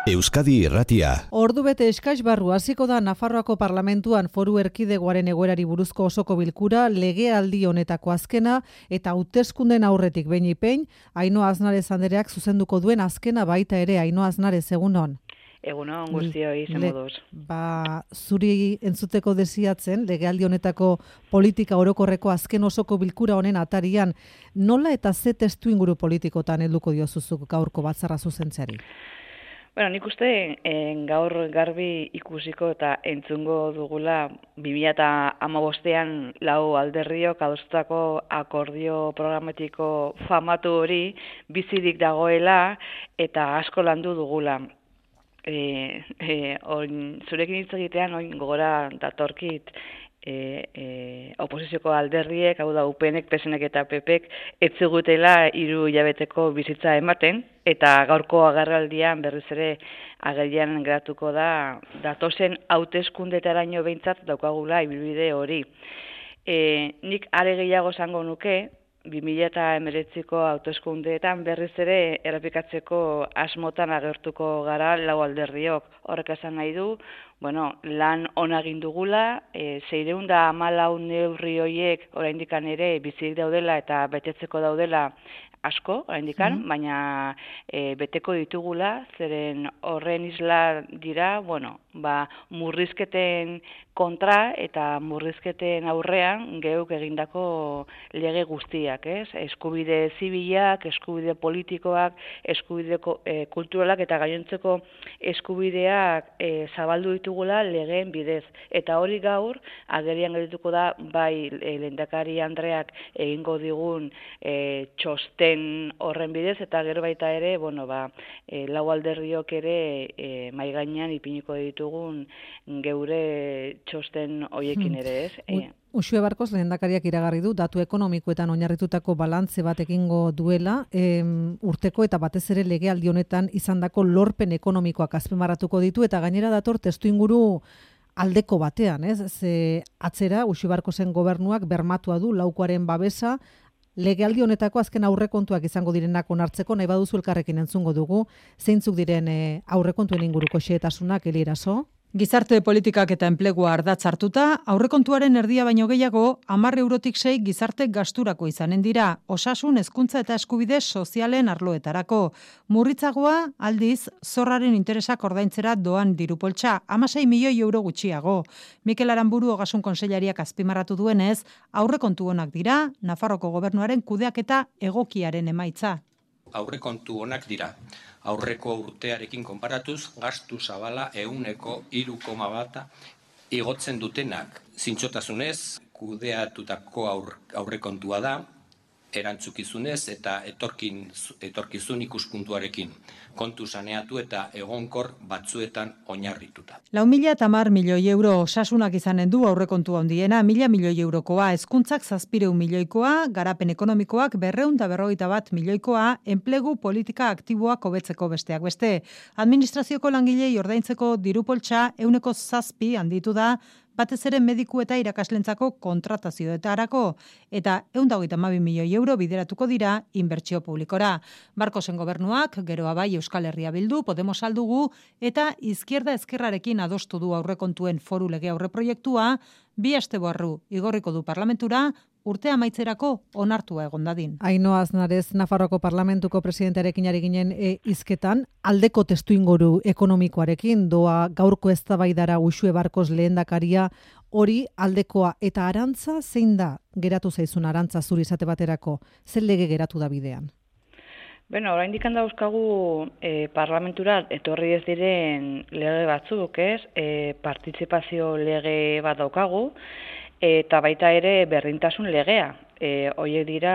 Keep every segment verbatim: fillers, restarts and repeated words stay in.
Euskadi Irratia. Ordu bete eskais barru hasiko da Nafarroako Parlamentuan Foru Erkidegoaren egoerari buruzko osoko bilkura, legealdi honetako azkena eta hauteskunden aurretik behin ipein, Ainhoa Aznarez andereak zuzenduko duen azkena baita ere. Ainhoa Aznarez, egunon. Egunon, guztioi, zen moduz. Ba, zuri entzuteko desiatzen, legealdi honetako politika orokorreko azken osoko bilkura honen atarian, nola eta ze testu inguru politikotan helduko diozuzuk gaurko batzarra zuzentzeari? Bueno, nik uste en, gaur garbi ikusiko eta entzungo dugula bi mila hamabostean lau alderriok adostutako akordio programatiko famatu hori bizirik dagoela eta asko landu dugula. E, e, on, zurekin hitz egitean oin gogora datorkit e, e, oposizioko alderriek, hau da U P Nek, P S Nek eta P Pek etzigutela hiru hilabeteko bizitza ematen, eta gaurko agerraldian berriz ere agerian geratuko da datozen hauteskundetaraino behintzat daukagula ibilbide hori. E, nik are gehiago esango nuke, bi mila hemeretziko hauteskundeetan berriz ere errepikatzeko asmotan agertuko gara lau alderriok. Horrek esan nahi du, bueno, lan ona egin dugula, e, seiehun eta hamalau neurri horiek oraindikan ere bizirik daudela eta betetzeko daudela asko, oraindikan, mm-hmm. baina e, beteko ditugula, zeren horren isla dira, bueno, ba, murrizketen kontra eta murrizketen aurrean geuk egindako lege guztiak, ez? Eskubide zibilak, eskubide politikoak, eskubide e, kulturalak eta gainontzeko eskubideak e, zabaldu ditugula legeen bidez. Eta hori gaur, agerian gerituko da, bai e, lehendakari Andreak egingo digun e, txosten horren bidez, eta gero baita ere, bueno, ba, e, lau alderriok ere e, mai gainean ipiniko ditugun geure txosten hoiekin ere, ez? Hmm. Uxue Barkos lehendakariak iragarri du datu ekonomikoetan oinarritutako balantze bat egingo duela, em, urteko eta batez ere legealdi honetan izandako lorpen ekonomikoak azpimarratuko ditu eta gainera dator testuinguru aldeko batean, ez? Ze atzera Uxue Barkosen gobernuak bermatua du laukoaren babesa, legealdi honetako azken aurrekontuak izango direnak onartzeko, nahi baduzu elkarrekin entzungo dugu, zeintzuk diren e, aurrekontuen inguruko xehetasunak, Eli Eraso? Gizarte politikak eta enplegua ardatz hartuta, aurrekontuaren erdia baino gehiago, hamar eurotik sei gizarte gasturako izanen dira, osasun, hezkuntza eta eskubide sozialen arloetarako. Murritzagoa, aldiz, zorraren interesak ordaintzera doan dirupoltsa, hamasei milioi euro gutxiago. Mikel Aranburu Ogasun Kontseilariak azpimarratu duenez, aurrekontu onak dira, Nafarroko gobernuaren kudeaketa egokiaren emaitza. Aurrekontu onak dira. Aurreko urtearekin konparatuz, gastu zabala ehuneko hiru koma bata igotzen dutenak. Zintzotasunez, kudeatutako aur, aurrekontua da, erantzukizunez eta etorkin, etorkizun ikuspuntuarekin, kontu saneatu eta egonkor batzuetan oinarrituta. Lau mila eta hamar milioi euro osasunak izanen du aurrekontu handiena, mila milioi eurokoa, hezkuntzak zazpireun milioikoa, garapen ekonomikoak berreun eta berrogeita bat milioikoa, enplegu politika aktiboak hobetzeko besteak beste. Administrazioko langilei ordaintzeko dirupoltsa ehuneko zazpi handitu da, batez ere mediku eta irakaslentzako kontratazioetarako, eta ehun eta hogeita hamabi milioi euro bideratuko dira inbertsio publikora. Barkosen gobernuak, geroa bai Euskal Herria Bildu, Podemos aldugu, eta izquierda ezkerrarekin adostu du aurrekontuen foru lege aurreproiektua, bi aste barru igorriko du parlamentura, urte amaitzerako onartua egon dadin. Ainhoa Aznarez, Nafarroako Parlamentuko presidentearekin ari ginen e, hizketan, aldeko testuinguru ekonomikoarekin doa gaurko eztabaidara Uxue Barkos lehendakaria, hori aldekoa eta Arantza zein da geratu zaizun Arantza zuri izate baterako, zer lege geratu da bidean? Bueno, oraindik dauzkagu e, parlamentura etorri ez diren lege batzuk, ez? E, partizipazio lege bat daukagu, eta baita ere berdintasun legea. E, Hoiek dira,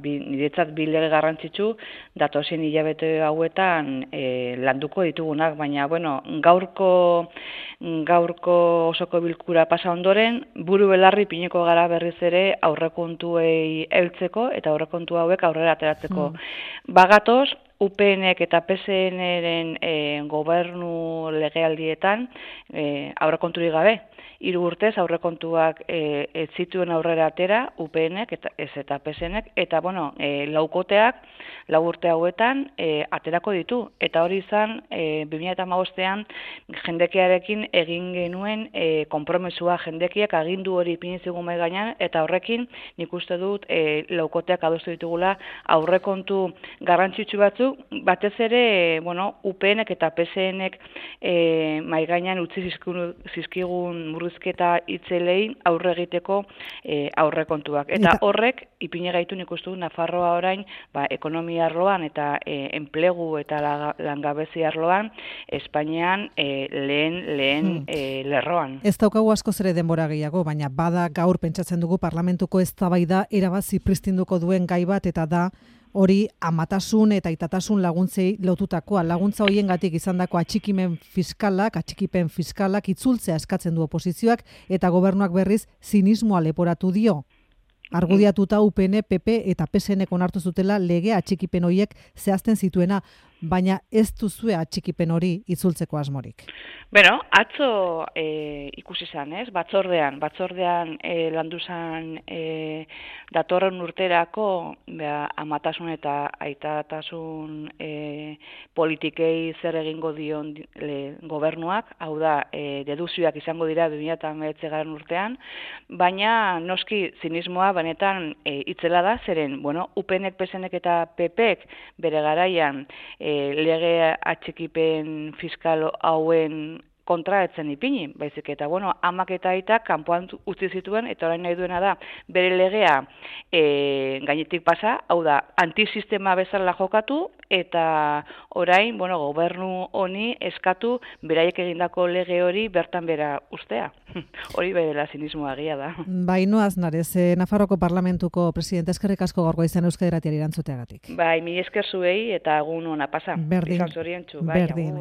bi, niretzat bi lege garrantzitsu, datozen hilabete hauetan e, landuko ditugunak, baina bueno, gaurko, gaurko osoko bilkura pasa ondoren, buru belarri pineko gara berriz ere aurrekontuei heltzeko eta aurrekontu hauek aurrera ateratzeko. Mm. Bagatoz, U P Nek eta P S Nren e, gobernu legealdietan e, aurrekonturik gabe. hiru urtez aurrekontuak e, ez zituen aurrera atera, U P Nek eta ez eta P S Nek, eta bueno, e, laukoteak lau urte hauetan e, aterako ditu. Eta hori izan, e, bi mila hamabostean jendekiarekin egin genuen e, konpromesua, jendekiak agindu hori ipini zigun mahai gainean, eta horrekin nik uste dut e, laukoteak adostu ditugula aurrekontu garrantzitsu batzuk, batez ere, bueno, U P Nek eta P S Nek e, mahai gainean utzi zizkigun, zizkigun murrizketa itzelei aurre egiteko e, aurrekontuak. Eta horrek ipini gaitu nik uste dut Nafarroa orain, ba, ekonomia arloan eta e, enplegu eta langabezi arloan Espainian e, lehen lehen hmm. e, lerroan. Ez daukagu askoz ere denbora gehiago, baina bada gaur pentsatzen dugu parlamentuko eztabaida erabat zipristinduko duen gai bat, eta da hori amatasun eta itatasun laguntzei lotutakoa. Laguntza hoiengatik izandako atxikimen fiskalak, atxikipen fiskalak itzultzea eskatzen du oposizioak, eta gobernuak berriz zinismoa leporatu dio. Argudiatuta U P N, P P eta P S Nek onartu zutela lege atxikipen horiek zehazten zituena, baina ez duzue atxikipen hori itzultzeko asmorik. Bueno, atzo e, ikusi zan, ez? Batzordean, batzordean e, landu zan e, datorren urterako bea, amatasun eta aitatasun e, politikei zer egingo dion le, gobernuak, hau da, e, deduzioak izango dira bi mila hemeretzigarren urtean, baina noski zinismoa benetan e, itzela da, zeren, bueno, U P Nek, P S Nek eta P Pek bere garaian e, lege atxikipen fiskal hauen kontra etzen ipini, baizik eta, bueno, amak eta aitak kanpoan utzi zituen, eta orain nahi duena da, bere legea e, gainetik pasa, hau da, antisistema bezala jokatu, eta orain, bueno, gobernu honi eskatu beraiek egindako lege hori bertan bera ustea. Hori bedela zinismoa egia da. Baino Aznarez, eh, Nafarroko Parlamentuko presidente, eskerrik asko gaurko izan Euskadi Irratiari erantzuteagatik. Bai, mi esker zuei eta egun ona pasa. Berdin. Izan zoriontsu, bai, Berdin.